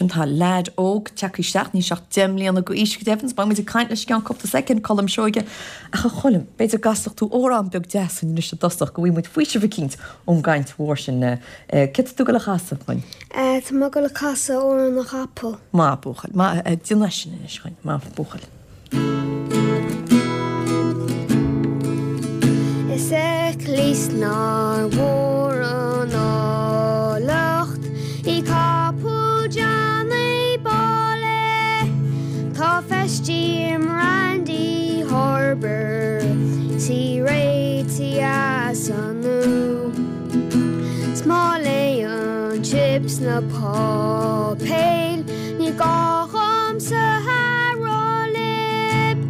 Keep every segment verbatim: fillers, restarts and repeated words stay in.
sin tá leaid óg tagtha isteach níl sé ach deich mbliana d'aois go deimhin, beidh muid ag caint leis i gceann cúpla soicind, Colm Seoige ach a Choilm, b'fhéidir go gcasfadh tú amhrán beag deas anois i dtosach go bhfaighidh muid faoiseamh eicínt ón gcaint mhór sin. Céard tá tú ag dul a chasadh dhúinn? Tá mé ag dul a casadh Amhrán na gCapall. Maith buachaill, maith, déan é sin anois dhúinn, maith buachaill. Is cleas nár mhór an áilleacht í capall Johnny Báile Tá feistithe i mBrandy Harbour 's í réitithe as an nua 'S má léann Chips na páipéil ní gá dhomsa a rá libh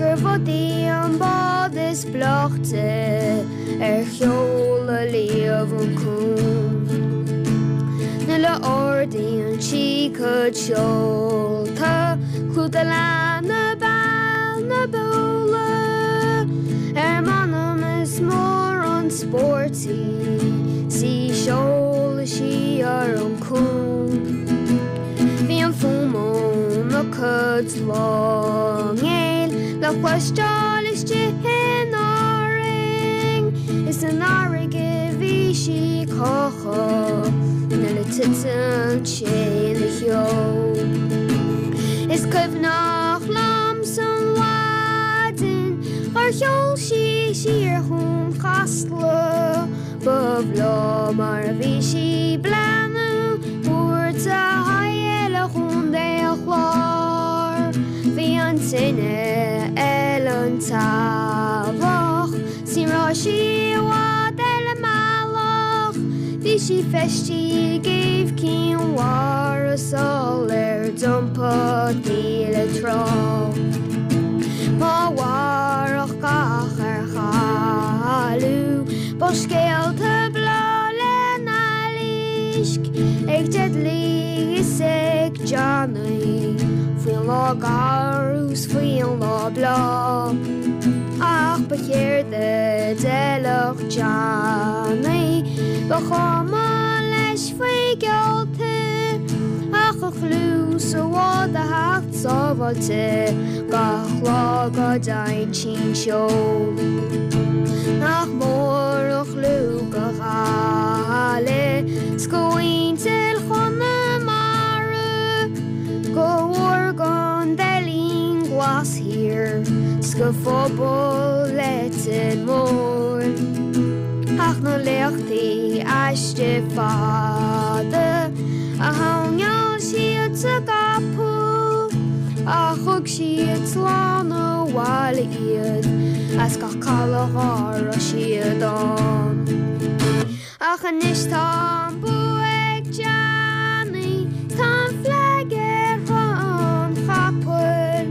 gur Bhudaí an bád is beaichte ar sheoladh riamh an cuan. Nuair a ardaíonn sí a cuid seolta clúdaigh lena béal na beola ar m'anam is mór an spórt í 's í seoladh siar an cuan. Bhí an fuaim óna cuid láinnéal le cloisteáil istigh in Árainn is san fharraige bhí sí calctha nuair a titeann sé ina cheo. Is cuimhneach liom san mhaidin gur sheol sí siar chun Chasla ba bhreá mar a bhí sí bleanú thabhairt a haghaidh le Contae an Chláir. Bhí an tine ar an teallach 's ní raibh sí i bhfad ar an mbealach Bhí sí feistithe i gcéibh Chinn Mhara sul ar d'iompaigh di le trá. Má mhairfeadh gach ar chailleadh ba scéalta breá lena éisc ag Dudley is ag Johnny faoin lá garbh 's faoin lá breá. Ach ba chéard a d'fheilfeadh Johnny ba chuma leis faoi gheallta ach a chlú sa bhád a theacht sábháilte gach lá go dtéann sí seol. Nach mór an clú go Gaillimh 's go muintir Chonamara go mhór gon Deilín Glas thiar 's go phobal Leitir Móir. Ach na léachtaí aiste fada a tháinig siad sa gcapall a thug siad slán abhaile iad as gach caladh a raibh siad ann. Ach anois tá an bua ag Johnny tá an flag ar an chapall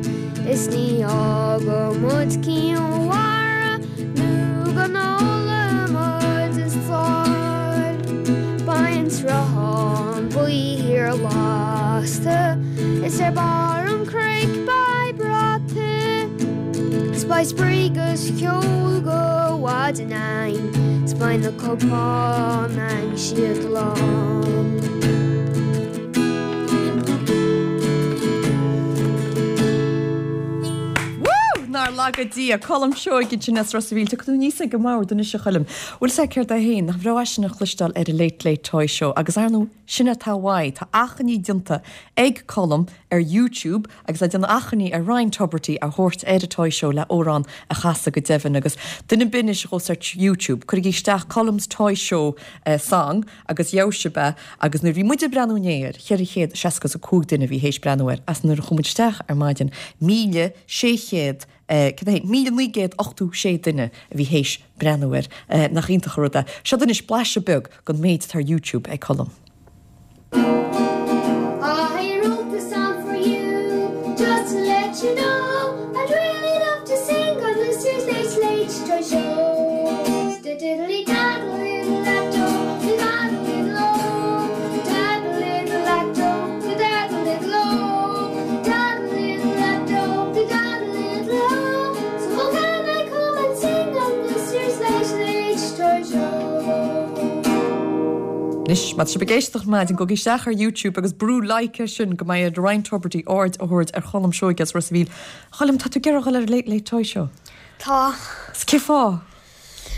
is ní fhágfaidh muid Cinn Mhara nó go n-ólfaidh muid an sáil. Beidh an sruthán buí thiar lasta is ar barr an chnoic beidh brat 's beidh spraoi agus ceol go mhaidin ann 's beidh na cupáin ann siad lán. Woo! Nár laga Dia Colm Seoige sin as Ros an Mhíl Tiocfaidh tú aníos ag an mbord anois a Choilm. Bhfuil sé céard é féin nach bhreá sin a chloisteáil ar an Late Late Toy Show agus ar ndóigh sin atá uaidh tá achainí déanta ag Colm ar YouTube agus le déanamh achainí ar Ryan Tubridy a thabhairt ar an Toy Show le amhrán a chasadh go deimhin agus duine binnis chós ar YouTube cuirigí isteach Colm's Toy Show uh, song agus gheobhaidh sibh é agus nuair bhí muid ag breathnú inné air ceithre chéad seasca is a cúig duine bhí théis breathnú air as nuair a chuaigh muid isteach ar maidin míle sé chéad míle naoi gcéad ochtó sé duine a bhí théis breathnú air nach iontach an rud é. Seo anois blaiseadh beag den méid atá ar YouTube ag Colm. I wrote the song for you just to let you know I'd really love to sing on this year's Late Late Toy Show. Diddly daddle little lacto, daddle little o, daddle little lacto, daddle little o, daddle little lacto, daddle little o. So how can I come and sing on this year's Late Late Toy Show? Anois, má tá sibh ag éisteacht ar maidin, gabhaigí isteach ar YouTube agus brú like air sin go mbeidh ar Ryan Tubridy aird a thabhairt ar Cholm Seoige as Ros a' Mhíl. Choilm, tá tú ag iarraidh a dhul ar an Late Late Toy Show? Tá. Is cén fáth?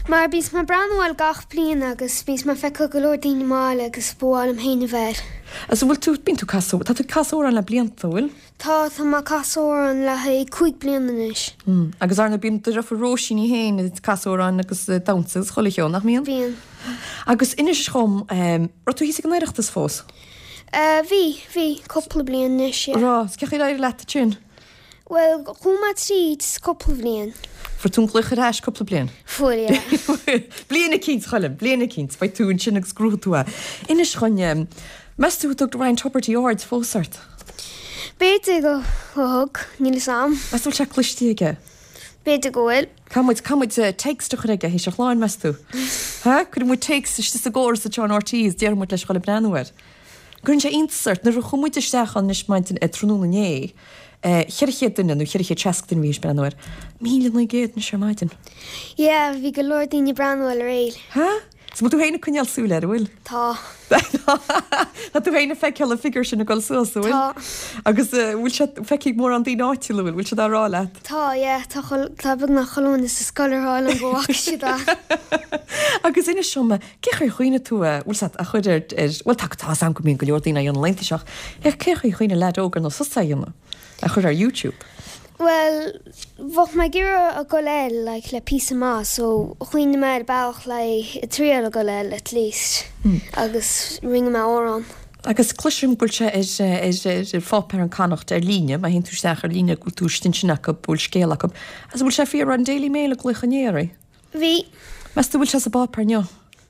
Mar bíonn mé ag breathnú air gach bliain agus bíonn mé ag feiceáil go leor daoine maille agus ba mhaith liom féin a bheith air. Agus an bhfuil tú, bíonn tú ag casadh, tá tú ag casadh amhrán le blianta, an bhfuil? Tá, tá mé ag casadh amhrán le haghaidh cúig bliana anois. Mm. Agus ar ndóigh bíonn do dheirfiúr Róisín í féin ag casadh amhrán agus ag damhsa agus chuile cheo, nach mbíonn? Bíonn. Agus inis dhom, raibh tú thíos ag an Oireachtas fós? Eh, bhí, bhí, cúpla bliain anois, yeah. Raibh, 's cén chaoi ar éirigh leat ansin? Bhuel, chuaigh mé tríd cúpla bhliain. Fuair tú an glaoch ar ais cúpla bliain? Fuair, yeah. Bliain eicínt, a Choilm, bliain eicínt, beidh tú ansin agus gnóthóidh tú é. Inis dhúinn, meas tú an dtug Ryan Tubridy aird fós ort? B'fhéidir go thug, níl fhios a'm. Meas tú bhfuil sé cloiste aige? B'fhéidir go bhfuil. Caithfidh muid, caithfidh muid text a chur aige théis an chláir, meas tú? Ha? Cuirfidh muid text istigh sa gcóras anseo in RTÉ is déarfaidh muid leis dhul ag breathnú air. Cuireann sé iontas ort, nuair a chuaigh muid isteach ann anois maidin, tráthnóna inné, cheithre chéad duine nó cheithre chéad seasca duine a bhí ag breathnú air. Míle naoi gcéad anois ar maidin. Yeah, bhí go leor daoine ag breathnú air aréir. Ha? So bhfuil tú féin ag coinneáil súil air, an bhfuil? Tá. Tá tú féin ag feiceáil an figiúr sin ag dul suas, an bhfuil? Tá. Agus bhfuil sé feicthe ag mórán daoine áitiúla, an bhfuil? Bhfuil siad á rá leat? Tá, yeah, tá tá beagnach chuile dhuine sa scoil ag rá liom go bhfaca siad é. Agus inis dom, cén chaoi ar chuimhnigh tú, bhfuil sé a chur ar, ar, bhuel tá, tá 'fhios a'm go mbíonn go leor daoine á dhéanamh laethanta seo, ach cén chaoi ar chuimhnigh leaid óg ar nós thusa é a dhéanamh, a chur ar YouTube? Bhuel, bheadh mé ag iarraidh a dhul air like le píosa maith so chuimhnigh mé ar bealach le ag triail a dhul air at least agus rinne mé amhrán. Agus cloisim go bhfuil sé ar ar ar pháipéar an Connacht ar líne, má théann tú isteach ar líne go bhfuil tú istigh ansin acu, go bhfuil scéal acu. Agus an bhfuil sé fíor, raibh an Daily Mail ag glaoch inné oraibh? Bhí. Meas tú bhfuil sé sa bpáipéar inniu?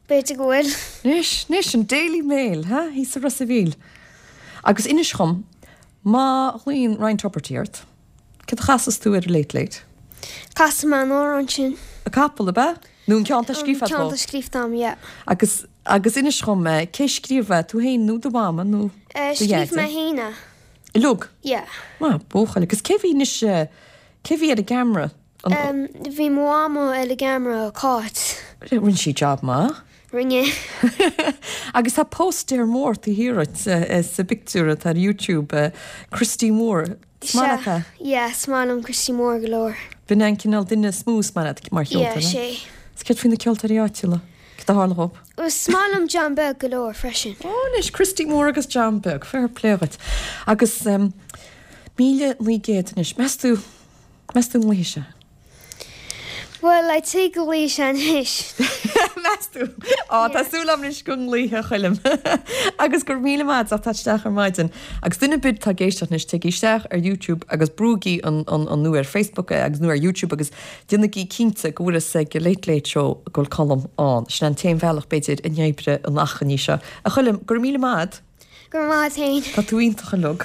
B'fhéidir go bhfuil. Anois, anois, an Daily Mail, ha? Thíos i Ros a' Mhíl. Agus inis dhom, má ghlaonn Ryan Tubridy ort, céard a chasfas tú ar an Late Late? Casfaidh mé an amhrán sin. An capall, ab ea? Nó an ceann atá scríofa An ceann atá scríofa a'm, yeah. Agus, agus inis dhom, cé scríobh é, tú féin nó do mhama nó do Eh, scríobh dheaide? mé féin é. Uilig? Yeah. Maith, buachaill. Agus cé bhí anois, cé bhí ar an gceamara? An. Bhí mo mhama ar an gceamara, Cáit. Rinne sí job maith. Rinne. Agus tá póstaer mór taobh thiar duit sa bpictiúr atá ar YouTube, Christy Moore. Is maith leat é? Yeah, is maith liom Christy Moore go leor. B'in é an cineál duine is mó is maith leat mar cheoltóir, Yeah, sé. Is céard faoi na ceoltóirí áitiúla? Céard a tharla dhóibh? Is maith liom John Beag go leor freisin. Ó, anois, Christy Moore agus John Beag, fair play dhuit. Agus míle naoi gcéad anois, meas tú, meas tú an nglaofaidh sé? Bhuel, I'd say go nglaofaidh sé anois. Meas tú? Á, tá súil agam anois go nglaofaidh, a Choilm. Agus go raibh míle maith agat as teacht isteach ar maidin. Agus duine ar bith atá ag éisteacht anois, téigí isteach ar YouTube agus brúigí an, an, an nó ar Facebook agus nó ar YouTube agus déanaigí cinnte go bhfuil fhios ag Late Late Show go bhfuil Colm ann. Sin an t-aon bhealach b'fhéidir a n-oibreoidh an achainí seo. A Choilm, go raibh míle maith agat. Go raibh maith agat féin. Tá tú iontach uilig.